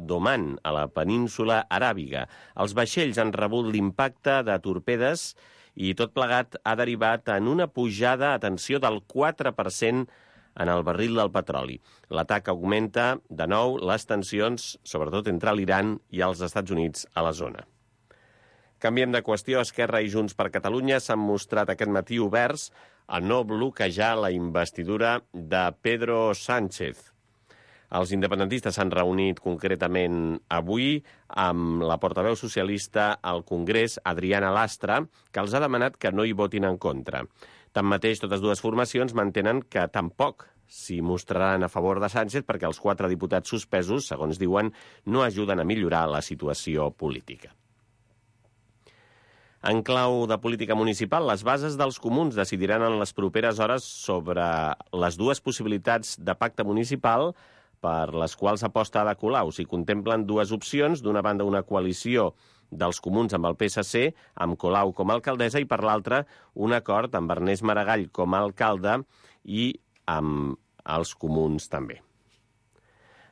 d'Oman, a la península aràbiga. Els vaixells han rebut l'impacte de torpedes i tot plegat ha derivat en una pujada, atenció, del 4% en el barril del petroli. L'atac augmenta, de nou, les tensions, sobretot entre l'Iran i els Estats Units a la zona. Canviem de qüestió. Esquerra i Junts per Catalunya s'han mostrat aquest matí oberts a no bloquejar la investidura de Pedro Sánchez. Els independentistes s'han reunit concretament avui amb la portaveu socialista al Congrés, Adriana Lastra, que els ha demanat que no hi votin en contra. Tanmateix, totes dues formacions mantenen que tampoc s'hi mostraran a favor de Sánchez perquè els 4 diputats suspesos, segons diuen, no ajuden a millorar la situació política. En clau de política municipal, les bases dels comuns decidiran en les properes hores sobre les dues possibilitats de pacte municipal per les quals aposta Ada Colau. S'hi contemplen dues opcions, d'una banda una coalició dels comuns amb el PSC, amb Colau com a alcaldessa, i per l'altra un acord amb Ernest Maragall com a alcalde i amb els comuns també.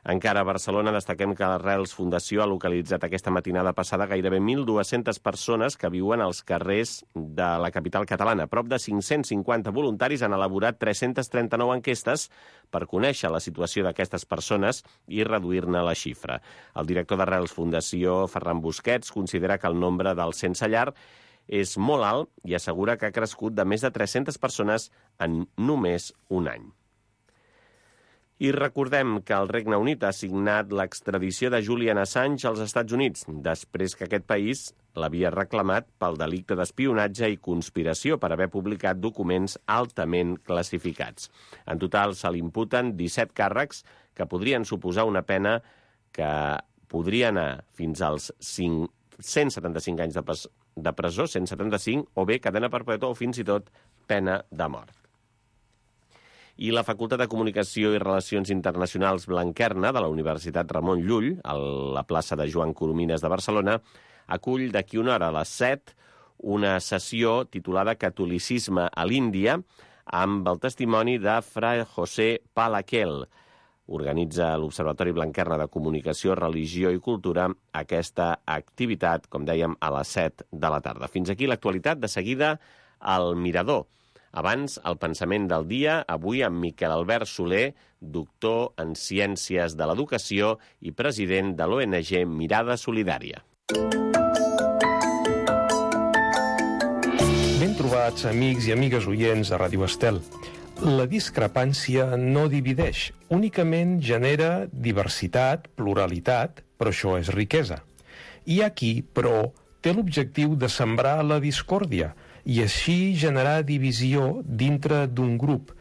Encara a Barcelona destaquem que l'Arrels Fundació ha localitzat aquesta matinada passada gairebé 1.200 persones que viuen als carrers de la capital catalana. Prop de 550 voluntaris han elaborat 339 enquestes per conèixer la situació d'aquestes persones i reduir-ne la xifra. El director d'Arrels Fundació, Ferran Busquets, considera que el nombre dels sense llar és molt alt i assegura que ha crescut de més de 300 persones en només un any. I recordem que el Regne Unit ha signat l'extradició de Julian Assange als Estats Units, després que aquest país l'havia reclamat pel delicte d'espionatge i conspiració per haver publicat documents altament classificats. En total se li imputen 17 càrrecs que podrien suposar una pena que podria anar fins als 175 anys de presó, 175, o bé cadena perpètua o fins i tot pena de mort. I la Facultat de Comunicació i Relacions Internacionals Blanquerna de la Universitat Ramon Llull, a la plaça de Joan Coromines de Barcelona, acull d'aquí una hora a les 7 una sessió titulada Catolicisme a l'Índia amb el testimoni de Fra José Palaquel. Organitza l'Observatori Blanquerna de Comunicació, Religió i Cultura aquesta activitat, com dèiem, a les 7 de la tarda. Fins aquí l'actualitat. De seguida, al Mirador. Abans, el pensament del dia, avui amb Miquel Albert Soler, doctor en Ciències de l'Educació i president de l'ONG Mirada Solidària. Ben trobats, amics i amigues oients de Ràdio Estel. La discrepància no divideix, únicament genera diversitat, pluralitat, però això és riquesa. I aquí, però, té l'objectiu de sembrar la discòrdia, i així generar divisió dintre d'un grup,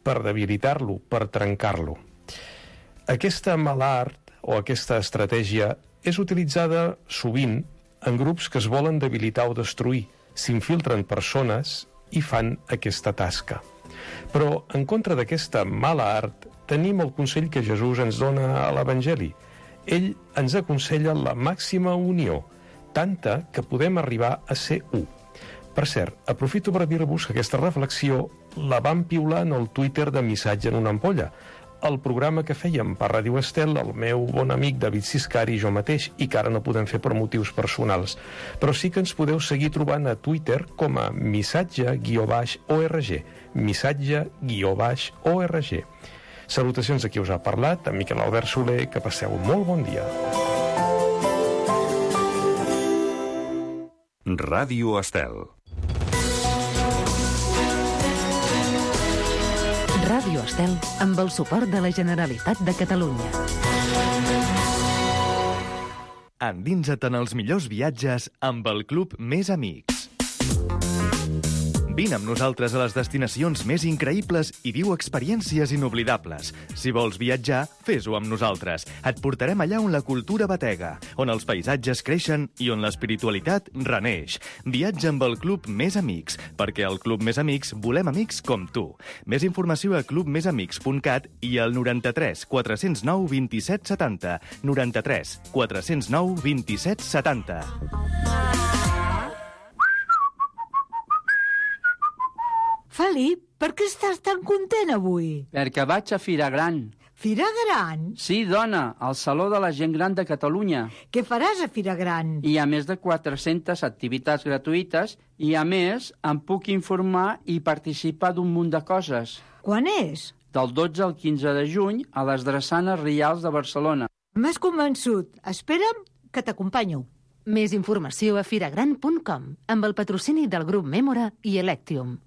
per debilitar-lo, per trencar-lo. Aquesta mala art, o aquesta estratègia, és utilitzada sovint en grups que es volen debilitar o destruir, s'infiltren persones i fan aquesta tasca. Però, en contra d'aquesta mala art, tenim el consell que Jesús ens dona a l'Evangeli. Ell ens aconsella la màxima unió, tanta que podem arribar a ser u. Per cert, aprofito per dir-vos que aquesta reflexió la vam piular en el Twitter de Missatge en una ampolla, el programa que fèiem per Ràdio Estel, el meu bon amic David Siscari i jo mateix, i que ara no podem fer per motius personals. Però sí que ens podeu seguir trobant a Twitter com a missatge-org, missatge-org. Salutacions a qui us ha parlat, a Miquel Albert Soler, que passeu un molt bon dia. Ràdio Estel. Ràdio Estel, amb el suport de la Generalitat de Catalunya. Endinsa't en els millors viatges amb el Club Més Amics. Vine amb nosaltres a les destinacions més increïbles i viu experiències inoblidables. Si vols viatjar, fes-ho amb nosaltres. Et portarem allà on la cultura batega, on els paisatges creixen i on l'espiritualitat reneix. Viatja amb el Club Més Amics, perquè al Club Més Amics volem amics com tu. Més informació a clubmesamics.cat i al 93 409 27 70. 93 409 27 70. Felip, per què estàs tan content avui? Perquè vaig a Fira Gran. Fira Gran? Sí, dona, al Saló de la Gent Gran de Catalunya. Què faràs a Fira Gran? Hi ha més de 400 activitats gratuïtes i, a més, em puc informar i participar d'un munt de coses. Quan és? Del 12 al 15 de juny a les Drassanes Rials de Barcelona. M'has convençut. Espera'm que t'acompanyo. Més informació a firagran.com amb el patrocini del grup Mémora i Electium.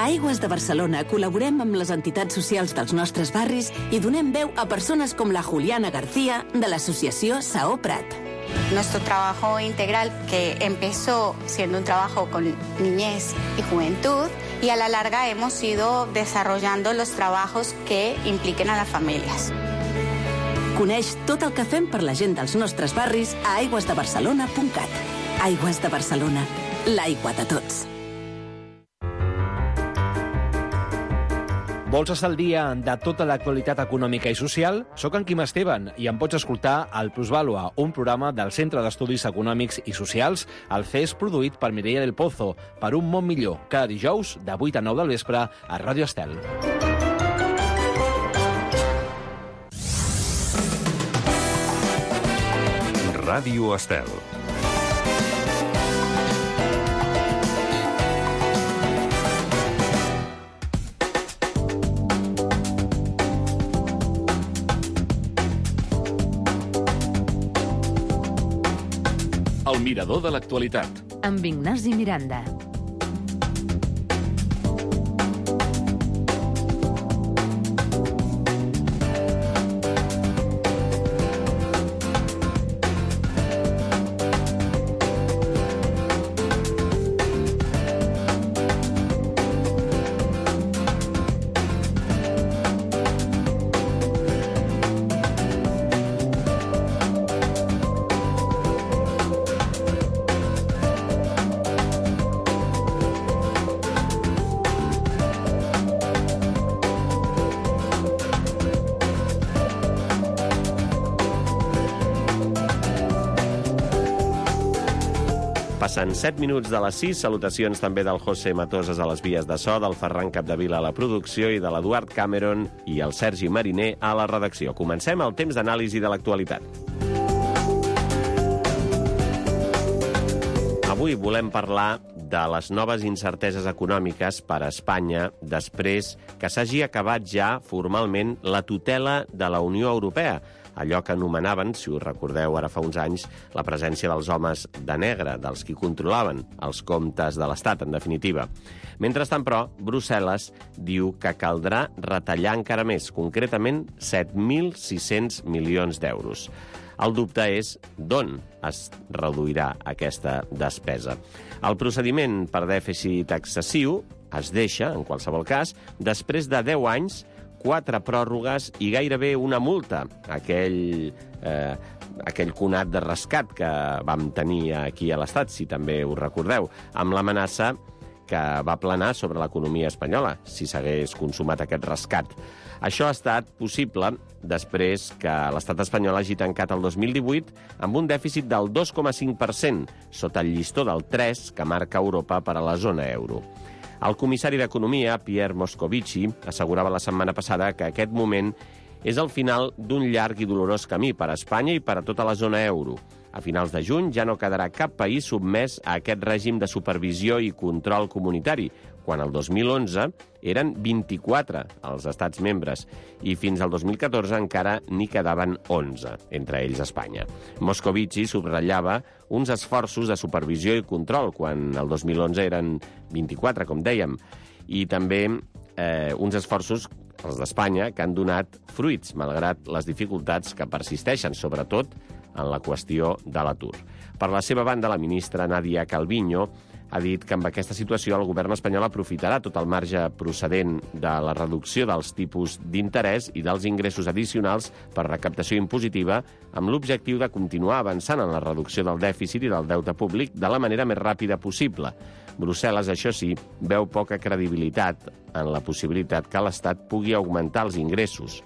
A Aigües de Barcelona col·laborem amb les entitats socials dels nostres barris i donem veu a persones com la Juliana García de l'associació Saó Prat. Nuestro trabajo integral, que empezó siendo un trabajo con niñez y juventud, y a la larga hemos ido desarrollando los trabajos que impliquen a las familias. Coneix tot el que fem per la gent dels nostres barris a aigüesdebarcelona.cat. Aigües de Barcelona, l'aigua de tots. Vols estar al dia de tota l'actualitat econòmica i social? Soc en Quim Esteban i em pots escoltar al Plusvàlua, un programa del Centre d'Estudis Econòmics i Socials, el CES, produït per Mireia del Pozo, per un món millor, cada dijous de 8 a 9 del vespre a Ràdio Estel. Ràdio Estel. El mirador de l'actualitat. Amb Ignasi Miranda. Passen 7 minuts de les 6. Salutacions també del José Matoses a les vies de so, del Ferran Capdevila a la producció i de l'Eduard Cameron i el Sergi Mariner a la redacció. Comencem el temps d'anàlisi de l'actualitat. Avui volem parlar de les noves incerteses econòmiques per a Espanya després que s'hagi acabat ja formalment la tutela de la Unió Europea, allò que anomenaven, si us recordeu ara fa uns anys, la presència dels homes de negre, dels qui controlaven els comptes de l'Estat, en definitiva. Mentrestant, però, Brussel·les diu que caldrà retallar encara més, concretament 7.600 milions d'euros. El dubte és d'on es reduirà aquesta despesa. El procediment per dèficit excessiu es deixa, en qualsevol cas, després de 10 anys, 4 pròrrogues i gairebé una multa, aquell conat de rescat que vam tenir aquí a l'Estat, si també us recordeu, amb l'amenaça que va planar sobre l'economia espanyola, si s'hagués consumat aquest rescat. Això ha estat possible després que l'estat espanyol hagi tancat el 2018 amb un dèficit del 2,5%, sota el llistó del 3% que marca Europa per a la zona euro. El comissari d'Economia, Pierre Moscovici, assegurava la setmana passada que aquest moment és el final d'un llarg i dolorós camí per a Espanya i per a tota la zona euro. A finals de juny ja no quedarà cap país sotmès a aquest règim de supervisió i control comunitari, quan el 2011 eren 24 els estats membres i fins al 2014 encara n'hi quedaven 11, entre ells Espanya. Moscovici subratllava uns esforços de supervisió i control, quan el 2011 eren 24, com dèiem, i també uns esforços, els d'Espanya, que han donat fruits, malgrat les dificultats que persisteixen, sobretot en la qüestió de l'atur. Per la seva banda, la ministra Nadia Calviño ha dit que amb aquesta situació el govern espanyol aprofitarà tot el marge procedent de la reducció dels tipus d'interès i dels ingressos addicionals per recaptació impositiva amb l'objectiu de continuar avançant en la reducció del dèficit i del deute públic de la manera més ràpida possible. Brussel·les, això sí, veu poca credibilitat en la possibilitat que l'Estat pugui augmentar els ingressos.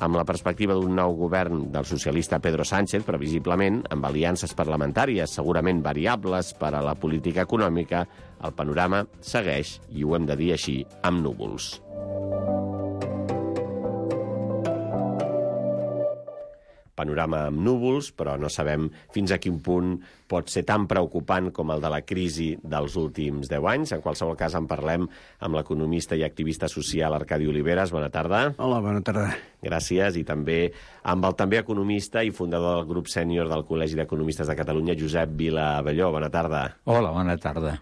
amb la perspectiva d'un nou govern del socialista Pedro Sánchez, previsiblement, amb aliances parlamentàries segurament variables per a la política econòmica, el panorama segueix, i ho hem de dir així, amb núvols. Panorama amb núvols, però no sabem fins a quin punt pot ser tan preocupant com el de la crisi dels últims 10 anys. En qualsevol cas, en parlem amb l'economista i activista social Arcadi Oliveres. Bona tarda. Hola, bona tarda. Gràcies. I també amb el també economista i fundador del grup sènior del Col·legi d'Economistes de Catalunya, Josep Vila Abelló. Bona tarda. Hola, bona tarda.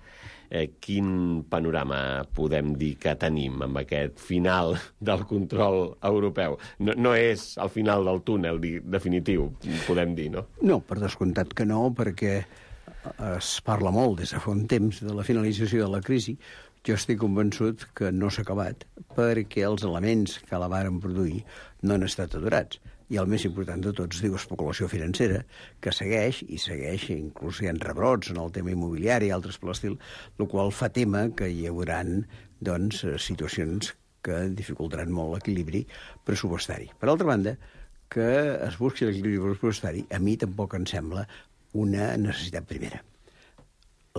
Quin panorama podem dir que tenim amb aquest final del control europeu? No és el final del túnel definitiu, podem dir, no? No, per descomptat que no, perquè es parla molt des de fa un temps de la finalització de la crisi. Jo estic convençut que no s'ha acabat, perquè els elements que la varen produir no han estat aturats. I el més important de tots diu especulació financera, que segueix, inclús hi ha rebrots en el tema immobiliari i altres per l'estil, el qual fa tema que hi haurà situacions que dificultaran molt l'equilibri pressupostari. Per altra banda, que es busqui l'equilibri pressupostari, a mi tampoc em sembla una necessitat primera.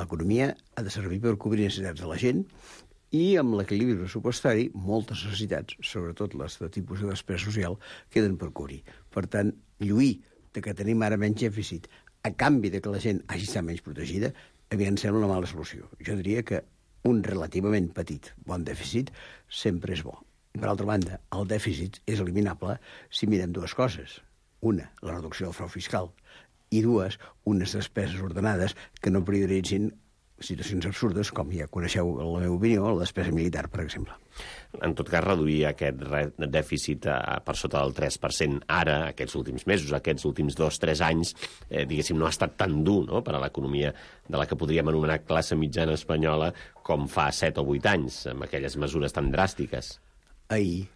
L'economia ha de servir per cobrir necessitats de la gent, i amb l'equilibri pressupostari, moltes necessitats, sobretot les de tipus de despesa social, queden per cobrir. Per tant, lluir de que tenim ara menys dèficit a canvi de que la gent hagi estat menys protegida, a mi em sembla una mala solució. Jo diria que un relativament petit bon dèficit sempre és bo. Per altra banda, el dèficit és eliminable si mirem dues coses. Una, la reducció del frau fiscal, i dues, unes despeses ordenades que no prioritzin situacions absurdes, com ja coneixeu la meva opinió, la despesa militar, per exemple. En tot cas, reduir aquest dèficit per sota del 3% ara, aquests últims mesos, aquests últims 2-3 anys, diguéssim, no ha estat tan dur, no?, per a l'economia de la que podríem anomenar classe mitjana espanyola com fa 7 o 8 anys, amb aquelles mesures tan dràstiques. Ahir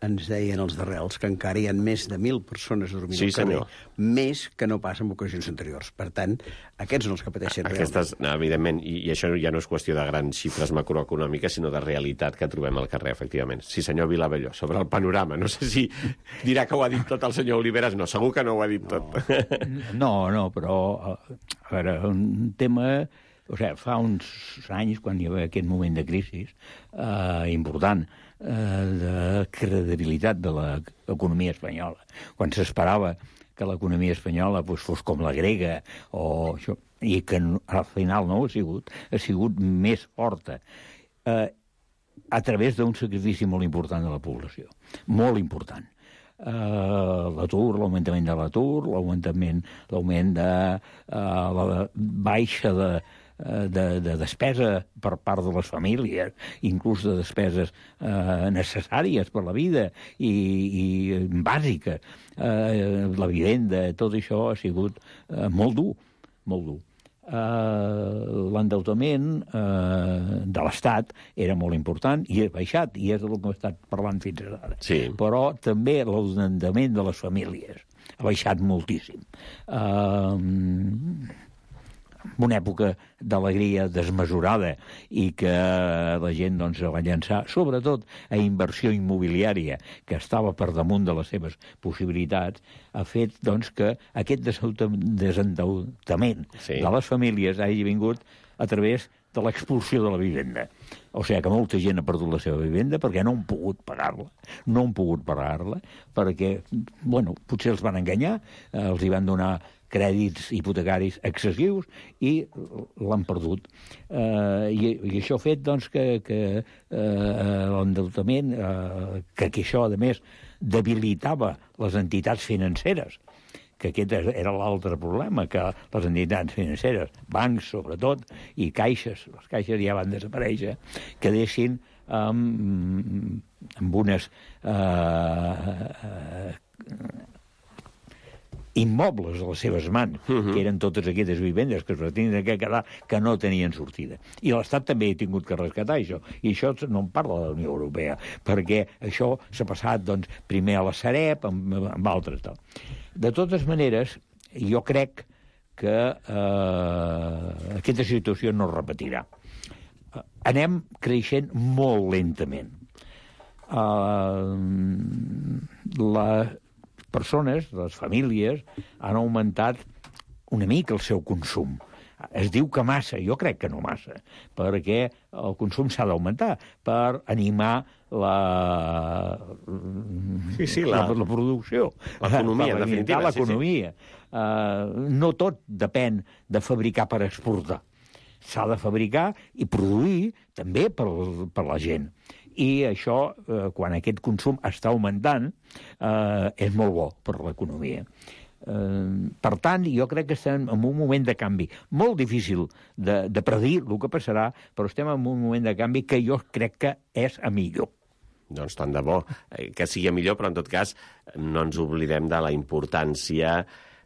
ens deien els d'Arrels que encara hi ha més de 1.000 persones dormint al carrer, més que no passa en ocasions anteriors. Per tant, aquests són els que pateixen realment. Evidentment, i això ja no és qüestió de grans xifres macroeconòmiques, sinó de realitat que trobem al carrer, efectivament. Sí, senyor Vilabelló, sobre el panorama. No sé si dirà que ho ha dit tot el senyor Oliveres. No, segur que no ho ha dit tot. No, però, a veure, un tema... O sigui, fa uns anys, quan hi havia aquest moment de crisi important, de credibilitat de l'economia espanyola, quan s'esperava que l'economia espanyola fos com la grega, o això, i que al final no ho ha sigut més forta, a través d'un sacrifici molt important de la població, molt important. L'atur, l'augmentament de l'atur, l'augment de la baixa de despesa per part de les famílies, inclús de despeses necessàries per la vida i bàsiques. La vivenda, tot això ha sigut molt dur, molt dur. L'endeutament de l'Estat era molt important i ha baixat, i és del que hem estat parlant fins ara. Sí. Però també l'endeutament de les famílies ha baixat moltíssim. En una època d'alegria desmesurada i que la gent va llançar, sobretot a inversió immobiliària, que estava per damunt de les seves possibilitats, ha fet que aquest desendeutament de les famílies hagi vingut a través de l'expulsió de la vivenda. O sigui que molta gent ha perdut la seva vivenda perquè no han pogut pagar-la, perquè, potser els van enganyar, els hi van donar crèdits hipotecaris excessius i l'han perdut. I això ha fet que l'endeutament, que això, a més, debilitava les entitats financeres, que aquest era l'altre problema, que les entitats financeres, bancs sobretot, i caixes, les caixes ja van desaparèixer, quedessin amb unes immobles a les seves mans, que eren totes aquestes vivendes que es tenien que quedar, que no tenien sortida. I l'Estat també ha tingut que rescatar això. I això no en parla de la Unió Europea, perquè això s'ha passat primer a la Sareb, amb altres. De totes maneres, jo crec que aquesta situació no es repetirà. Anem creixent molt lentament. les persones, les famílies, han augmentat una mica el seu consum. Es diu que massa, jo crec que no massa, perquè el consum s'ha d'augmentar per animar la producció. L'economia, en definitiva. L'economia. No tot depèn de fabricar per exportar. S'ha de fabricar i produir també per la gent. I això, quan aquest consum està augmentant, és molt bo per l'economia. Per tant, jo crec que estem en un moment de canvi molt difícil de predir el que passarà, però estem en un moment de canvi que jo crec que és a millor. Doncs tant de bo que sigui millor, però en tot cas no ens oblidem de la importància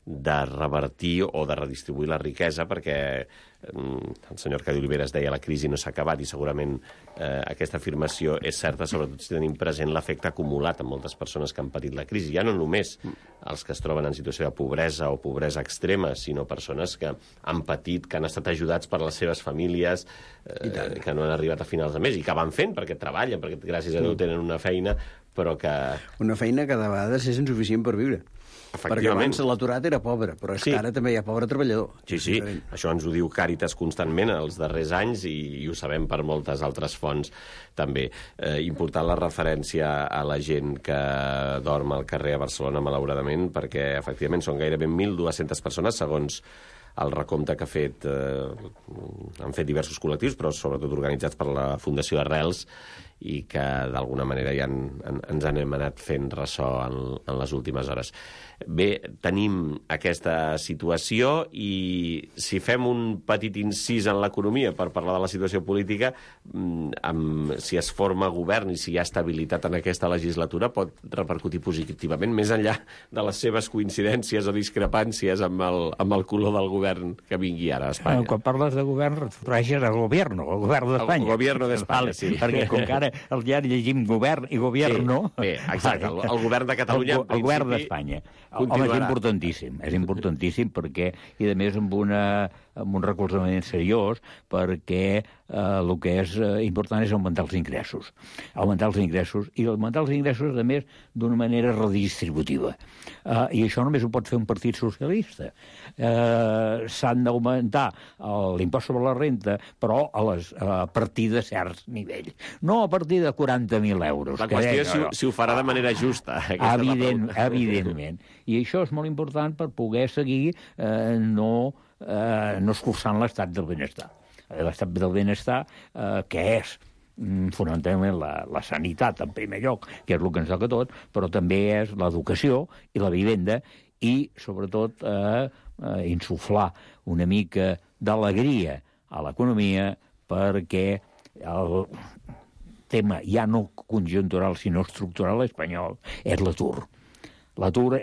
de revertir o de redistribuir la riquesa, perquè el senyor Arcadi Oliveres deia la crisi no s'ha acabat, i segurament aquesta afirmació és certa, sobretot si tenim present l'efecte acumulat en moltes persones que han patit la crisi. Ja no només els que es troben en situació de pobresa o pobresa extrema, sinó persones que han patit, que han estat ajudats per les seves famílies, que no han arribat a finals de mes i que van fent perquè treballen, perquè gràcies a Déu tenen una feina, però que... Una feina que de vegades és insuficient per viure. Perquè abans l'aturat era pobre, però és que ara també hi ha pobre treballador. Sí, això ens ho diu Càritas constantment els darrers anys i ho sabem per moltes altres fonts també. Important la referència a la gent que dorm al carrer a Barcelona, malauradament, perquè efectivament són gairebé 1.200 persones, segons el recompte que han fet diversos col·lectius, però sobretot organitzats per la Fundació Arrels, i que d'alguna manera ja ens hem anat fent ressò en les últimes hores. Bé, tenim aquesta situació i si fem un petit incís en l'economia per parlar de la situació política, si es forma govern i si hi ha estabilitat en aquesta legislatura pot repercutir positivament, més enllà de les seves coincidències o discrepàncies amb el color del govern que vingui ara a Espanya. Quan parles de govern, refereixes al govern d'Espanya. El govern d'Espanya, sí. Perquè com que ara el diari llegim govern i gobierno... Bé, exacte, el govern de Catalunya, el govern d'Espanya. Home, és importantíssim perquè, i a més amb un recolzament seriós, perquè el que és important és augmentar els ingressos. I augmentar els ingressos, a més, d'una manera redistributiva. I això només ho pot fer un partit socialista. S'han d'augmentar l'impost sobre la renta, però a partir de certs nivells. No a partir de 40.000 euros. La qüestió és si ho farà de manera justa. Evidentment. I això és molt important per poder seguir no escurçant l'estat del benestar. L'estat del benestar, que és fonamentalment la sanitat, en primer lloc, que és el que ens toca tot, però també és l'educació i la vivenda i, sobretot, insuflar una mica d'alegria a l'economia perquè el tema ja no conjuntural sinó estructural espanyol és l'atur. L'atur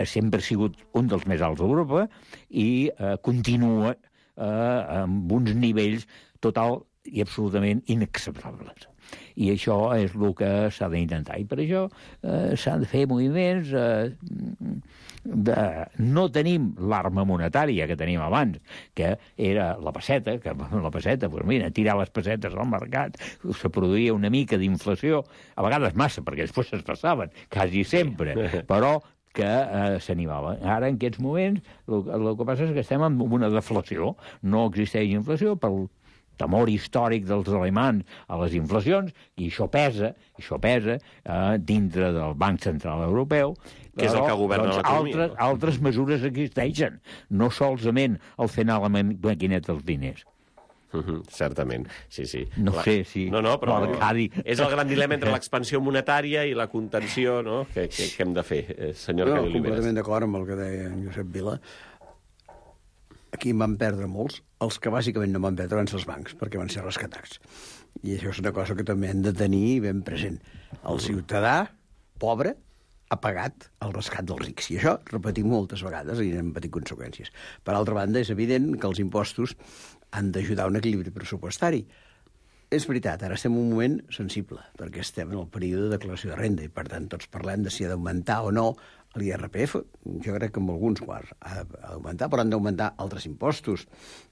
sempre ha sigut un dels més alts d'Europa i continua amb uns nivells total i absolutament inacceptables. I això és el que s'ha d'intentar. I per això s'han de fer moviments. No tenim l'arma monetària que teníem abans, que era la pesseta, tirar les pessetes al mercat, se produïa una mica d'inflació, a vegades massa, perquè després es passaven, quasi sempre, però que s'animava. Ara, en aquests moments, el que passa és que estem en una deflació. No existeix inflació pel temor històric dels alemans a les inflacions, i això pesa dintre del Banc Central Europeu. Que és el que governa l'economia. Altres mesures existeixen, no solament el fer anar la maquineta dels diners. Certament, sí. No sé si... No, però és el gran dilema entre l'expansió monetària i la contenció, no?, que hem de fer, senyor Arcadi Oliveres. Completament d'acord amb el que deia en Josep Vila. Aquí en van perdre molts. Els que bàsicament no van perdre van ser els bancs, perquè van ser rescatats. I això és una cosa que també hem de tenir ben present. El ciutadà pobre ha pagat el rescat dels rics. I això, repetim moltes vegades, i n'hem patit conseqüències. Per altra banda, és evident que els impostos han d'ajudar a un equilibri pressupostari. És veritat, ara estem en un moment sensible, perquè estem en el període de declaració de renda i, per tant, tots parlem de si ha d'augmentar o no l'IRPF. Jo crec que amb alguns quarts ha d'augmentar, però han d'augmentar altres impostos.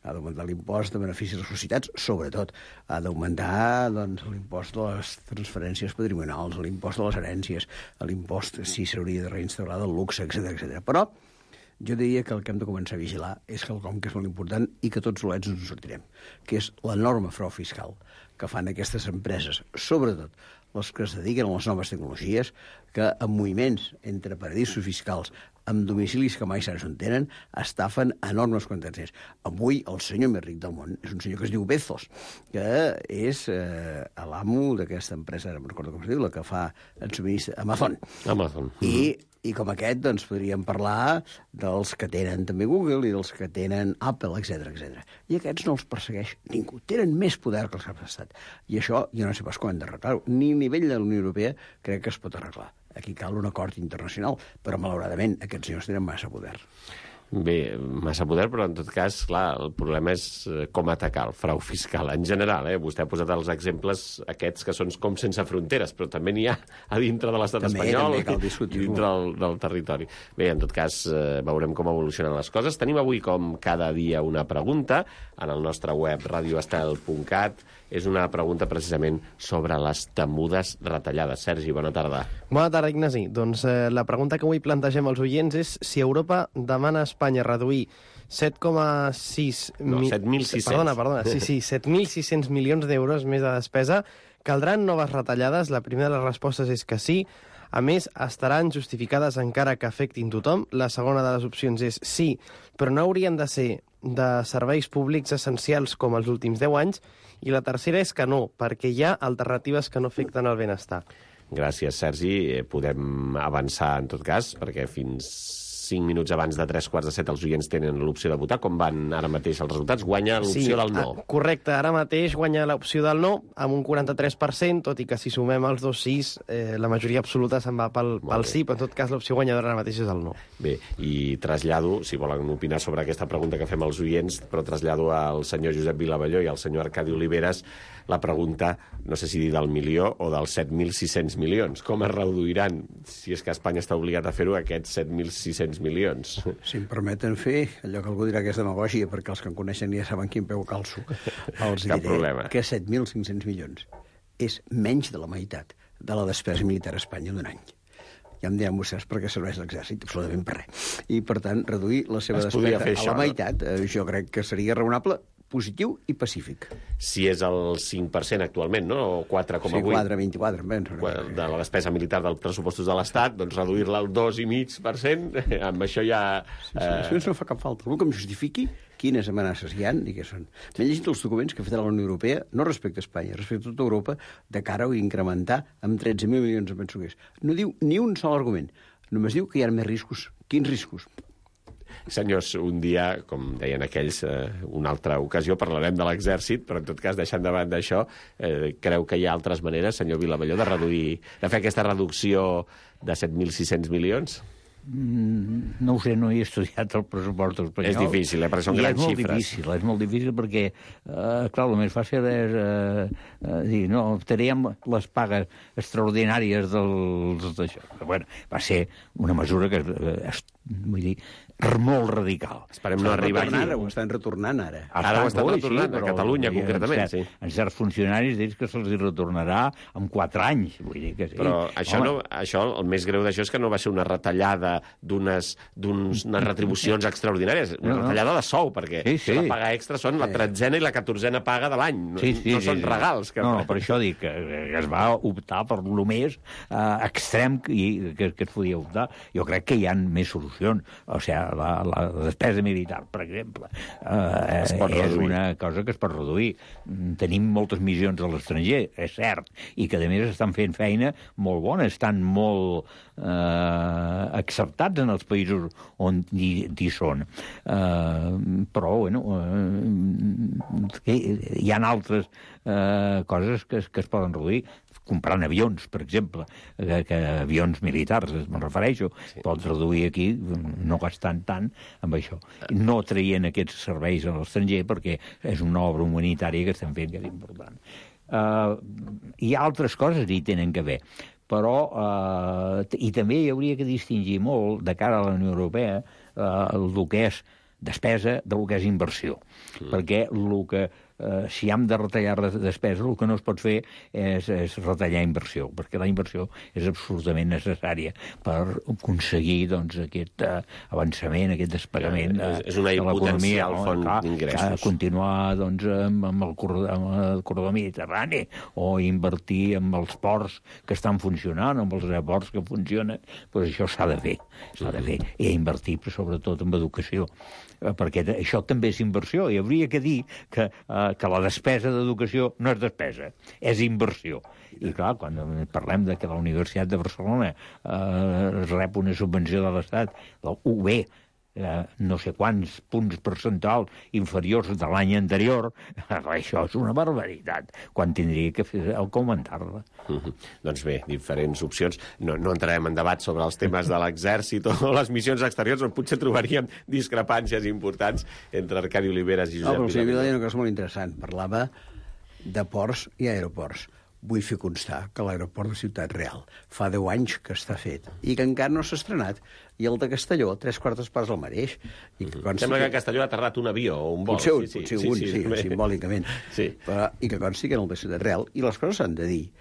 Ha d'augmentar l'impost de beneficis a les societats, sobretot. Ha d'augmentar l'impost de les transferències patrimonials, l'impost de les herències, l'impost si s'hauria de reinstaurar del luxe, etc. Però jo diria que el que hem de començar a vigilar és quelcom que és molt important i que tots solets ens en sortirem, que és l'enorme frau fiscal que fan aquestes empreses, sobretot les que es dediquen a les noves tecnologies, que en moviments entre paradisos fiscals, amb domicilis que mai saps on tenen, estafen enormes quantitats. Avui el senyor més ric del món és un senyor que es diu Bezos, que és l'amo d'aquesta empresa, no recordo com es diu, la que fa el subministre, Amazon. I com aquest, doncs, podríem parlar dels que tenen també Google i dels que tenen Apple, etc. I aquests no els persegueix ningú. Tenen més poder que els caps d'estat. I això, jo no sé pas com hem d'arreglar-ho. Ni a nivell de la Unió Europea crec que es pot arreglar. Aquí cal un acord internacional, però malauradament aquests senyors tenen massa poder. Bé, massa poder, però en tot cas, clar, el problema és com atacar el frau fiscal en general. Vostè ha posat els exemples aquests que són com sense fronteres, però també n'hi ha a dintre de l'estat espanyol i dintre del territori. Bé, en tot cas, veurem com evolucionen les coses. Tenim avui, com cada dia, una pregunta en el nostre web radioestel.cat. És una pregunta precisament sobre les temudes retallades. Sergi, bona tarda. Bona tarda, Ignasi. Doncs la pregunta que avui plantegem als oients és si Europa demana a Espanya reduir 7,6... No, 7.600. Perdona. Sí, 7.600 milions d'euros més de despesa. Caldran noves retallades? La primera de les respostes és que sí. A més, estaran justificades encara que afectin tothom. La segona de les opcions és sí, però no haurien de ser de serveis públics essencials com els últims 10 anys. I la tercera és que no, perquè hi ha alternatives que no afecten el benestar. Gràcies, Sergi. Podem avançar, en tot cas, perquè fins 5 minuts abans de 3:45 els oients tenen l'opció de votar. Com van ara mateix els resultats? Guanya l'opció del no. Correcte, ara mateix guanya l'opció del no amb un 43%, tot i que si sumem els dos sís, la majoria absoluta se'n va pel sí, però en tot cas l'opció guanyadora ara mateix és el no. Bé, i trasllado, si volen opinar sobre aquesta pregunta que fem als oients, però trasllado al senyor Josep Vilavelló i al senyor Arcadi Oliveres la pregunta, no sé si dir del milió o dels 7.600 milions. Com es reduiran, si és que Espanya està obligat a fer-ho, aquests 7.600 milions? Si em permeten fer allò que algú dirà que és demagògia, perquè els que em coneixen ja saben quin peu calço, els diré que 7.500 milions és menys de la meitat de la despesa militar a Espanya d'un any. Ja em diran vostès per què serveix l'exèrcit, absolutament per res. I, per tant, reduir la seva despesa a la meitat, jo crec que seria raonable, positiu i pacífic. Si és el 5% actualment, no? O 4,8%. Sí, 4,24%. De la despesa militar dels pressupostos de l'Estat, doncs reduir-la al 2,5%, amb això ja... Això no fa cap falta. Algú que em justifiqui quines amenaces hi ha i què són. M'he llegit els documents que ha fet la Unió Europea, no respecte a Espanya, respecte a tota Europa, de cara a incrementar amb 13.000 milions de pensuguers. No diu ni un sol argument. Només diu que hi ha més riscos. Quins riscos? Senyors, un dia, com deien aquells, una altra ocasió, parlarem de l'exèrcit, però en tot cas, deixant de banda això, creu que hi ha altres maneres, senyor Vilavelló, de fer aquesta reducció de 7.600 milions? No ho sé, no he estudiat el pressupost espanyol. És difícil, perquè són grans xifres. És molt difícil perquè, clar, el més fàcil és dir, no, teníem les pagues extraordinàries d'això. Però, bueno, va ser una mesura que, vull dir, molt radical. Esperem no arribar aquí. Ho estan retornant ara. Ara ho estan retornant, a Catalunya, concretament, sí. En certs funcionaris dius que se'ls retornarà en 4 anys. Vull dir que sí. Però això, el més greu d'això és que no va ser una retallada d'unes retribucions extraordinàries, una retallada de sou, perquè la paga extra són la 13a i la 14a paga de l'any. No són regals. No, per això dic que es va optar per lo més extrem que es podia optar. Jo crec que hi ha més solucions. O sigui, la despesa militar, per exemple, és una cosa que es pot reduir. Tenim moltes missions a l'estranger, és cert, i que a més estan fent feina molt bona, estan molt acceptats en els països on hi són. Però, bueno, hi ha altres coses que es poden reduir. Comprant avions, per exemple, que avions militars, me'n refereixo, pots reduir aquí, no gastant tant amb això. No traient aquests serveis a l'estranger, perquè és una obra humanitària que estem fent que és important. Hi ha altres coses que hi tenen que ver, però i també hi hauria que distingir molt de cara a la Unió Europea el que és despesa del que és inversió, perquè si hem de retallar despesa, el que no es pot fer és retallar inversió, perquè la inversió és absolutament necessària per aconseguir aquest avançament, aquest despegament és una potencial font d'ingressos. Continuar amb el corredor mediterrani o invertir en els ports que estan funcionant, amb els aeroports que funcionen, doncs això s'ha de fer, i invertir sobretot en educació, perquè això també és inversió, i hauria que dir que la despesa d'educació no és despesa, és inversió. I clar, quan parlem de que la Universitat de Barcelona rep una subvenció de l'Estat, la UB, no sé quants punts percentuals inferiors de l'any anterior, això és una barbaritat, quan tindria que augmentar-la. Doncs bé, diferents opcions. No entrarem en debat sobre els temes de l'exèrcit o les missions exteriors, on potser trobaríem discrepàncies importants entre Arcadi Oliveres i Josep Vila. Però el senyor Vila deia una cosa molt interessant. Parlava de ports i aeroports. Vull fer constar que l'aeroport de Ciutat Real fa 10 anys que està fet i que encara no s'ha estrenat. I el de Castelló, 3/4 parts el mateix. Sembla que a Castelló ha aterrat un avió o un vol. Potser un, simbòlicament. Sí. I que consti que en el de Ciutat Real, i les coses s'han de dir,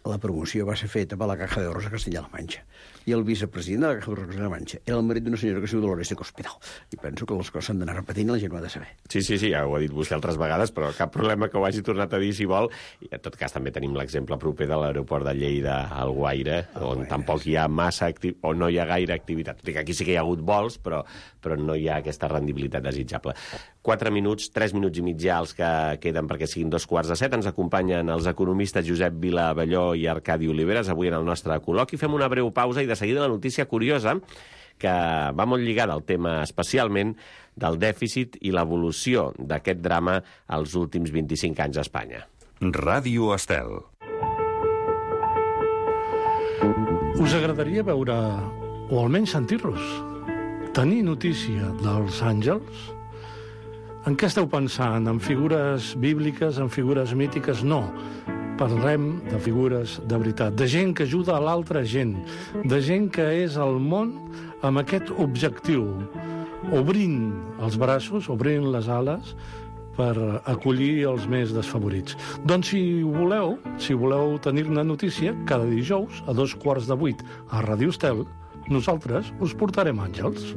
la promoció va ser feta per la Caja de Ahorros de Castilla-La Mancha. I el vicepresident de la Caja de Ahorros de Castilla-La Mancha era el marit d'una senyora que es diu Dolores de Cospedal. I penso que les coses s'han d'anar repetint i la gent ho ha de saber. Sí, ja ho ha dit vostè altres vegades, però cap problema que ho hagi tornat a dir si vol. I en tot cas també tenim l'exemple proper de l'aeroport de Lleida, Alguaire, on tampoc hi ha o no hi ha gaire activitat. Aquí sí que hi ha hagut vols, però no hi ha aquesta rendibilitat desitjable. 4 minuts, 3 minuts i mig ja els que queden perquè siguin 6:45. Ens acompanyen els economistes Josep Vila Abelló i Arcadi Oliveres avui en el nostre col·loqui. Fem una breu pausa i de seguida la notícia curiosa que va molt lligada al tema especialment del dèficit i l'evolució d'aquest drama als últims 25 anys a Espanya. Ràdio Estel. Us agradaria veure, o almenys sentir-los, tenir notícia dels àngels? En què esteu pensant? En figures bíbliques, en figures mítiques? No. Parlem de figures de veritat, de gent que ajuda a l'altra gent, de gent que és al món amb aquest objectiu, obrint els braços, obrint les ales, per acollir els més desfavorits. Doncs si voleu tenir-ne notícia, cada dijous a 7:15 a Ràdio Estel, nosaltres us portarem àngels.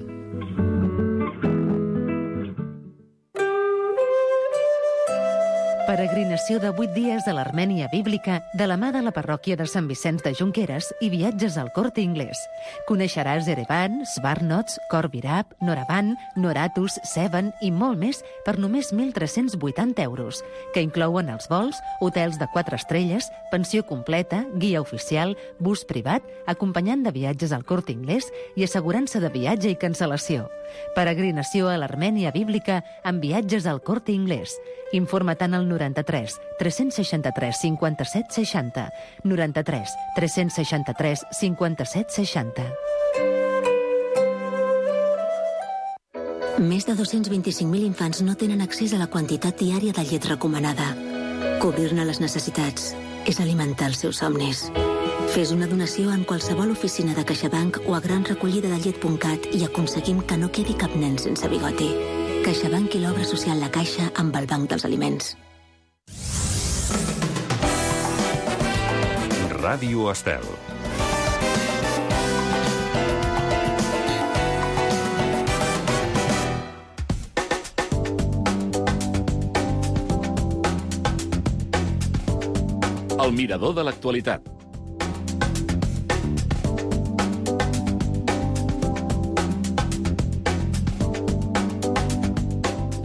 Peregrinació de 8 dies a l'Armènia bíblica de la mà de la parròquia de Sant Vicenç de Jonqueres i viatges al Corte Inglés. Coneixeràs Erevan, Svarnots, Khor Virab, Noravan, Noratus, Sevan i molt més per només 1.380 euros, que inclouen els vols, hotels de 4 estrelles, pensió completa, guia oficial, bus privat, acompanyant de viatges al Corte Inglés i assegurança de viatge i cancel·lació. Peregrinació a l'Armènia bíblica amb viatges al Corte Inglés. Informa't al 93 363 57 60, 93 363 57 60. Més de 225.000 infants no tenen accés a la quantitat diària de llet recomanada. Cobrir-ne les necessitats és alimentar els seus somnis. Fes una donació en qualsevol oficina de CaixaBank o a granrecollidadellet.cat i aconseguim que no quedi cap nen sense bigoti. CaixaBank i l'obra social La Caixa amb el Banc dels Aliments. Ràdio Estel. El mirador de l'actualitat.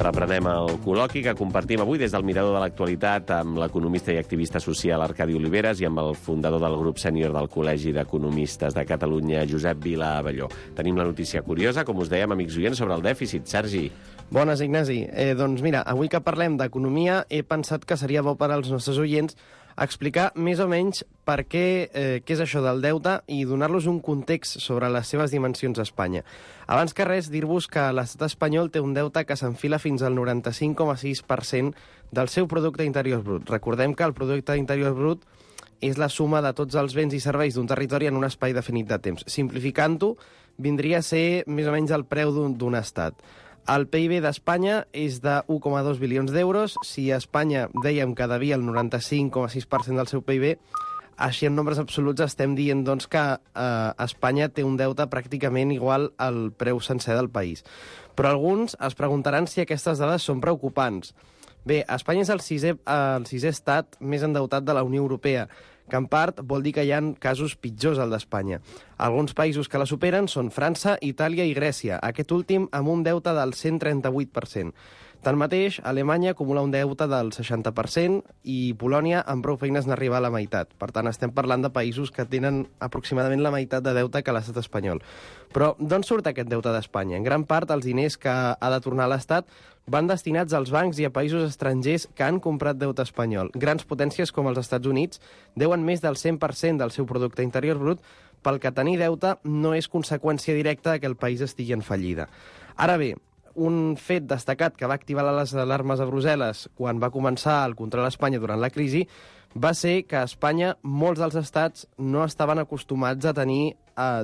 Reprenem el col·loqui que compartim avui des del Mirador de l'Actualitat amb l'economista i activista social Arcadi Oliveres i amb el fundador del grup sènior del Col·legi d'Economistes de Catalunya, Josep Vila Abelló. Tenim la notícia curiosa, com us dèiem, amics oients, sobre el dèficit. Sergi. Bones, Ignasi. Doncs mira, avui que parlem d'economia, he pensat que seria bo per als nostres oients explicar més o menys per què és això del deute i donar-los un context sobre les seves dimensions a Espanya. Abans que res, dir-vos que l'estat espanyol té un deute que s'enfila fins al 95,6% del seu producte interior brut. Recordem que el producte interior brut és la suma de tots els béns i serveis d'un territori en un espai definit de temps. Simplificant-ho, vindria a ser més o menys el preu d'un estat. El PIB d'Espanya és de 1,2 bilions d'euros. Si a Espanya dèiem que devia el 95,6% del seu PIB, així en nombres absoluts estem dient doncs, que Espanya té un deute pràcticament igual al preu sencer del país. Però alguns es preguntaran si aquestes dades són preocupants. Bé, Espanya és el sisè estat més endeutat de la Unió Europea, que en part vol dir que hi ha casos pitjors al d'Espanya. Alguns països que la superen són França, Itàlia i Grècia, aquest últim amb un deute del 138%. Tanmateix, Alemanya acumula un deute del 60% i Polònia amb prou feines n'arriba a la meitat. Per tant, estem parlant de països que tenen aproximadament la meitat de deute que l'estat espanyol. Però d'on surt aquest deute d'Espanya? En gran part, els diners que ha de tornar l'Estat van destinats als bancs i a països estrangers que han comprat deute espanyol. Grans potències com els Estats Units deuen més del 100% del seu producte interior brut, pel que tenir deute no és conseqüència directa que el país estigui en fallida. Ara bé, un fet destacat que va activar les alarmes a Brussel·les quan va començar el control a Espanya durant la crisi va ser que a Espanya molts dels estats no estaven acostumats a tenir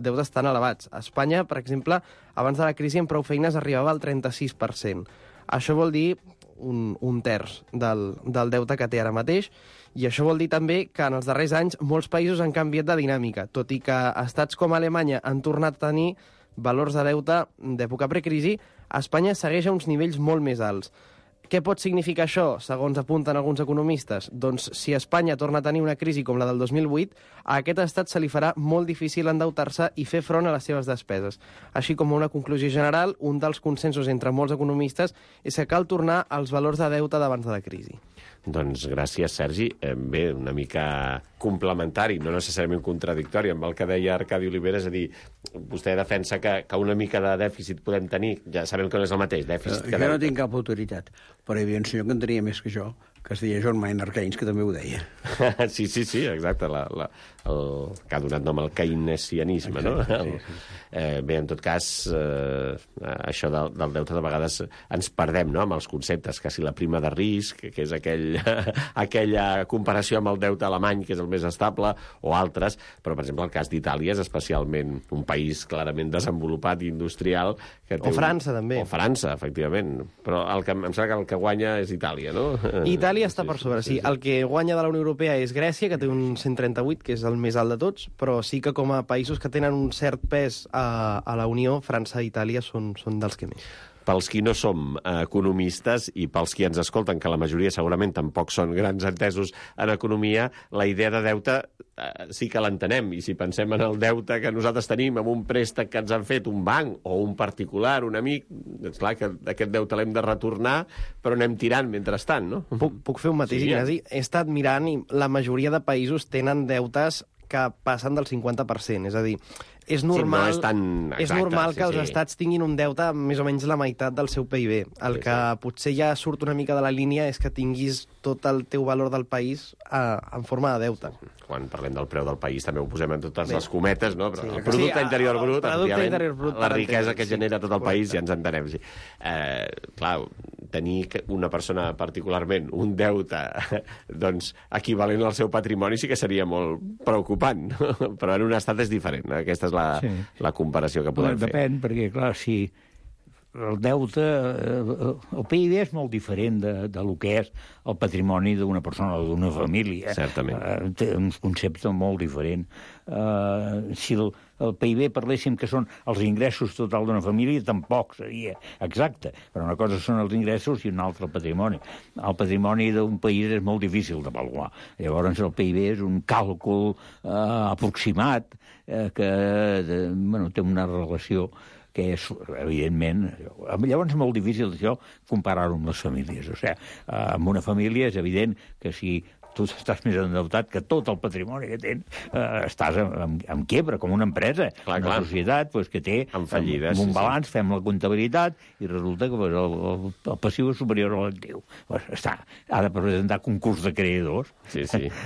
deutes tan elevats. A Espanya, per exemple, abans de la crisi en prou feines arribava al 36%. Això vol dir un terç del deute que té ara mateix, i això vol dir també que en els darrers anys molts països han canviat de dinàmica, tot i que estats com Alemanya han tornat a tenir valors de deute d'època precrisi, Espanya segueix a uns nivells molt més alts. Què pot significar això, segons apunten alguns economistes? Doncs si Espanya torna a tenir una crisi com la del 2008, a aquest estat se li farà molt difícil endeutar-se i fer front a les seves despeses. Així com una conclusió general, un dels consensos entre molts economistes és que cal tornar als valors de deute d'abans de la crisi. Doncs gràcies, Sergi. Bé, una mica complementari, no necessàriament contradictori amb el que deia Arcadi Olivera, és a dir, vostè defensa que una mica de dèficit podem tenir, ja sabem que no és el mateix, dèficit que jo no tinc cap autoritat, però hi havia un senyor que en tenia més que jo, que es deia John Maynard Keynes, que també ho deia. Sí, exacte, el que ha donat nom al keynesianisme, no? Sí. Bé, en tot cas, això del deute de vegades ens perdem, no?, amb els conceptes, que si la prima de risc, que és aquella comparació amb el deute alemany, que és el més estable, o altres, però, per exemple, el cas d'Itàlia és especialment un país clarament desenvolupat i industrial. O França, també. O França, efectivament. Però em sembla que el que guanya és Itàlia, no? Itàlia està per sobre, sí. El que guanya de la Unió Europea és Grècia, que té un 138, que és el més alt de tots, però sí que com a països que tenen un cert pes a la Unió, França i Itàlia són dels que més. Pels qui no som economistes i pels qui ens escolten, que la majoria segurament tampoc són grans entesos en economia, la idea de deute sí que l'entenem. I si pensem en el deute que nosaltres tenim amb un préstec que ens han fet un banc o un particular, un amic, és clar que aquest deute l'hem de retornar, però anem tirant mentrestant, no? Puc fer un matís, sí, Ignasi? He estat mirant i la majoria de països tenen deutes que passen del 50%, és a dir, és normal, sí, no és tan exacte, és normal que els estats tinguin un deute més o menys la meitat del seu PIB. El que potser ja surt una mica de la línia és que tinguis tot el teu valor del país en forma de deute. Quan parlem del preu del país també ho posem en totes les cometes, no? Però el producte interior brut, la riquesa que genera tot el país, ja ens entenem. Sí. Clar, tenir una persona particularment un deute doncs, equivalent al seu patrimoni sí que seria molt preocupant, no? Però en un estat és diferent. Aquesta és la comparació que podem fer. Depèn, perquè, clar, si el deute, el PIB és molt diferent de lo que és el patrimoni d'una persona o d'una família. Certament. Té uns conceptes molt diferents. Si el PIB parléssim que són els ingressos total d'una família, tampoc seria exacte. Però una cosa són els ingressos i una altra el patrimoni. El patrimoni d'un país és molt difícil d'avaluar. Llavors el PIB és un càlcul aproximat que té una relació que és, evidentment... Llavors és molt difícil això comparar-ho amb les famílies. O sigui, amb una família és evident que si tu estàs més endeutat que tot el patrimoni que tens. Estàs en quiebra, com una empresa, una societat que té un balanç, fem la comptabilitat, i resulta que el passiu és superior a l'actiu. Ha de presentar concurs de creadors.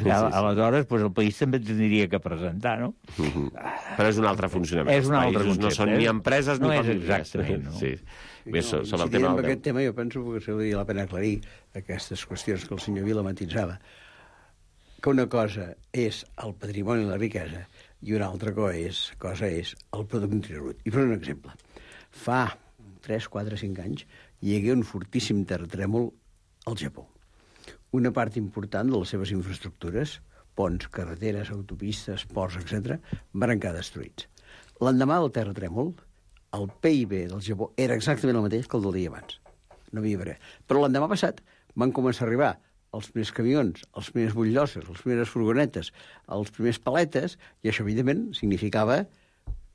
Aleshores, el país també tindria que presentar, no? Però és un altre funcionament. És un altre concepte. No són ni empreses ni famílies. Exactament, no? Sobre aquest tema jo penso que s'hauria la pena aclarir aquestes qüestions que el senyor Vila matitzava, que una cosa és el patrimoni i la riquesa i una altra cosa és el producte interior brut. I per un exemple, fa 3, 4, 5 anys hi hagué un fortíssim terratrèmol al Japó. Una part important de les seves infraestructures, ponts, carreteres, autopistes, ports, etc., van quedar destruïts. L'endemà del terratrèmol, el PIB del Japó era exactament el mateix que el del dia abans. No havia res. Però l'endemà passat van començar a arribar els primers camions, els primers bulldoces, les primeres furgonetes, els primers paletes, i això, evidentment, significava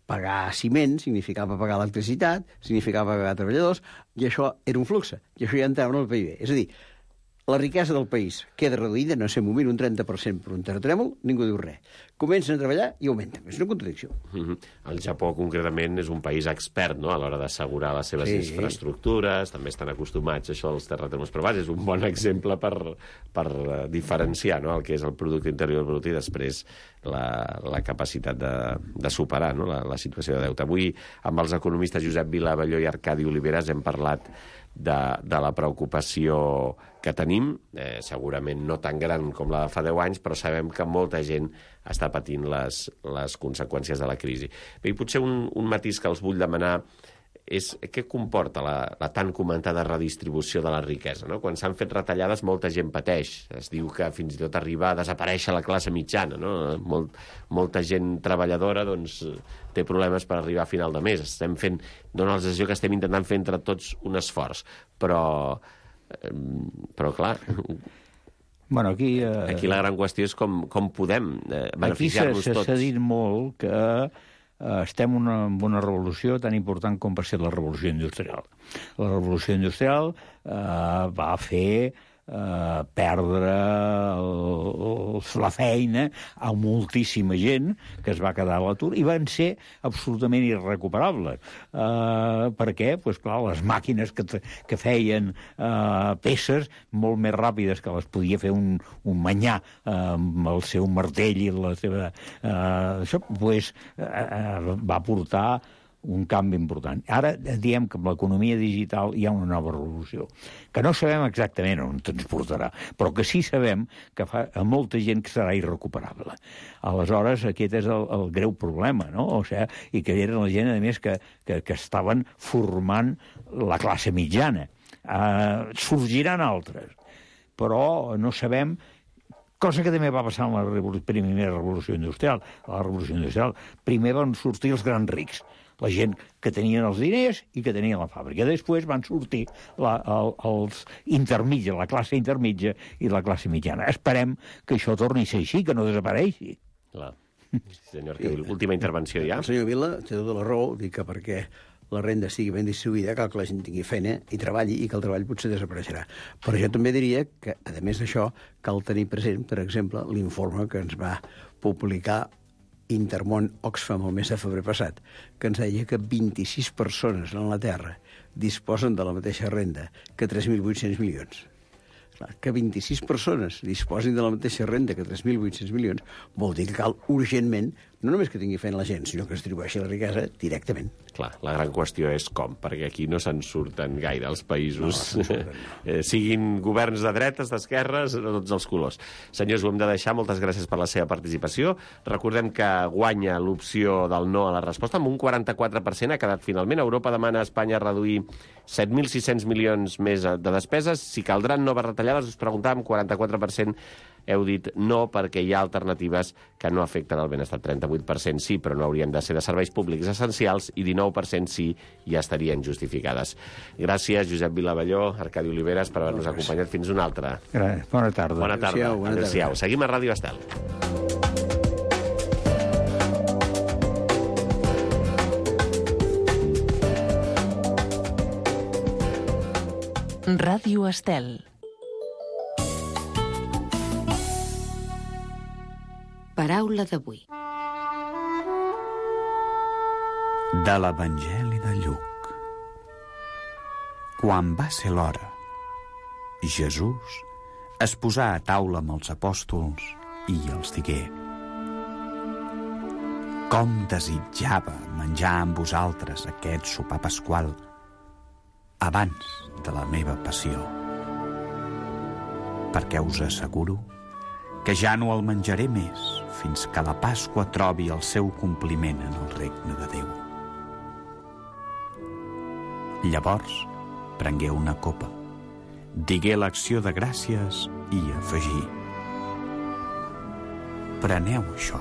pagar ciment, significava pagar electricitat, significava pagar treballadors, i això era un flux, i això ja entrava en el PIB. És a dir, la riquesa del país queda reduïda, no sé, moment, un 30% per un terratrèmol, ningú diu res. Comencen a treballar i augmenten. És una contradicció. El Japó, concretament, és un país expert, no?, a l'hora d'assegurar les seves infraestructures, també estan acostumats a això dels terratrèmols, però és un bon exemple per diferenciar, no?, el que és el producte interior brut i després la capacitat de superar, no?, la situació de deute. Avui, amb els economistes Josep Vila Abelló i Arcadi Oliveres, hem parlat de la preocupació que tenim, segurament no tan gran com la de fa 10 anys, però sabem que molta gent està patint les conseqüències de la crisi. Bé, i potser un matís que els vull demanar és què comporta la tan comentada redistribució de la riquesa, no? Quan s'han fet retallades, molta gent pateix. Es diu que fins i tot arriba a desaparèixer la classe mitjana, no? Molta gent treballadora té problemes per arribar a final de mes. Dóna la sensació que estem intentant fer entre tots un esforç, però clar... Bueno, aquí la gran qüestió és com podem beneficiar-nos tots. Aquí s'ha dit molt que estem en una revolució tan important com va ser la revolució industrial. La revolució industrial va fer perdre la feina a moltíssima gent que es va quedar a l'atur i van ser absolutament irrecuperables. Per què? Doncs clar, les màquines que feien peces molt més ràpides que les podia fer un manyà amb el seu martell i la seva... Això va portar un canvi important. Ara diem que amb l'economia digital hi ha una nova revolució, que no sabem exactament on ens portarà, però que sí sabem que fa a molta gent que serà irrecuperable. Aleshores, aquest és el greu problema, no? O sigui, i que eren la gent, a més, que estaven formant la classe mitjana. Sorgiran altres, però no sabem... Cosa que també va passar en la primera revolució industrial. A la revolució industrial primer van sortir els grans rics, la gent que tenien els diners i que tenien la fàbrica. Després van sortir els intermitja, la classe intermitja i la classe mitjana. Esperem que això torni a ser així, que no desapareixi. Clar. Senyor, última intervenció ja. El senyor Vila té tota la raó, dic que perquè la renda estigui ben distribuïda, cal que la gent tingui feina i treballi, i que el treball potser desapareixerà. Però jo també diria que, a més d'això, cal tenir present, per exemple, l'informe que ens va publicar Intermón Oxfam el mes de febrer passat, que ens deia que 26 persones en la Terra disposen de la mateixa renda que 3.800 milions. Clar, que 26 persones disposin de la mateixa renda que 3.800 milions vol dir que cal urgentment no només que tingui feina la gent, sinó que es distribueixi la riquesa directament. Clar, la gran qüestió és com, perquè aquí no se'n surten gaire els països, siguin governs de dretes, d'esquerres, de tots els colors. Senyors, ho hem de deixar. Moltes gràcies per la seva participació. Recordem que guanya l'opció del no a la resposta, amb un 44% ha quedat finalment. Europa demana a Espanya reduir 7.600 milions més de despeses. Si caldran noves retallades, us preguntàvem, 44% heu dit no perquè hi ha alternatives que no afecten el benestar. 38% sí, però no haurien de ser de serveis públics essencials, i 19% sí, ja estarien justificades. Gràcies, Josep Vila Abelló, Arcadi Oliveres, per haver-nos acompanyat. Fins una altra. Bona tarda. Bona tarda. Adéu-siau. Seguim a Ràdio Estel. Ràdio Estel. Paraula d'avui. De l'Evangeli de Lluc. Quan va ser l'hora, Jesús es posà a taula amb els apòstols i els digué: com desitjava menjar amb vosaltres aquest sopar pasqual abans de la meva passió. Perquè us asseguro que ja no el menjaré més fins que la Pasqua trobi el seu compliment en el regne de Déu. Llavors prengué una copa, digué l'acció de gràcies i afegí: preneu això,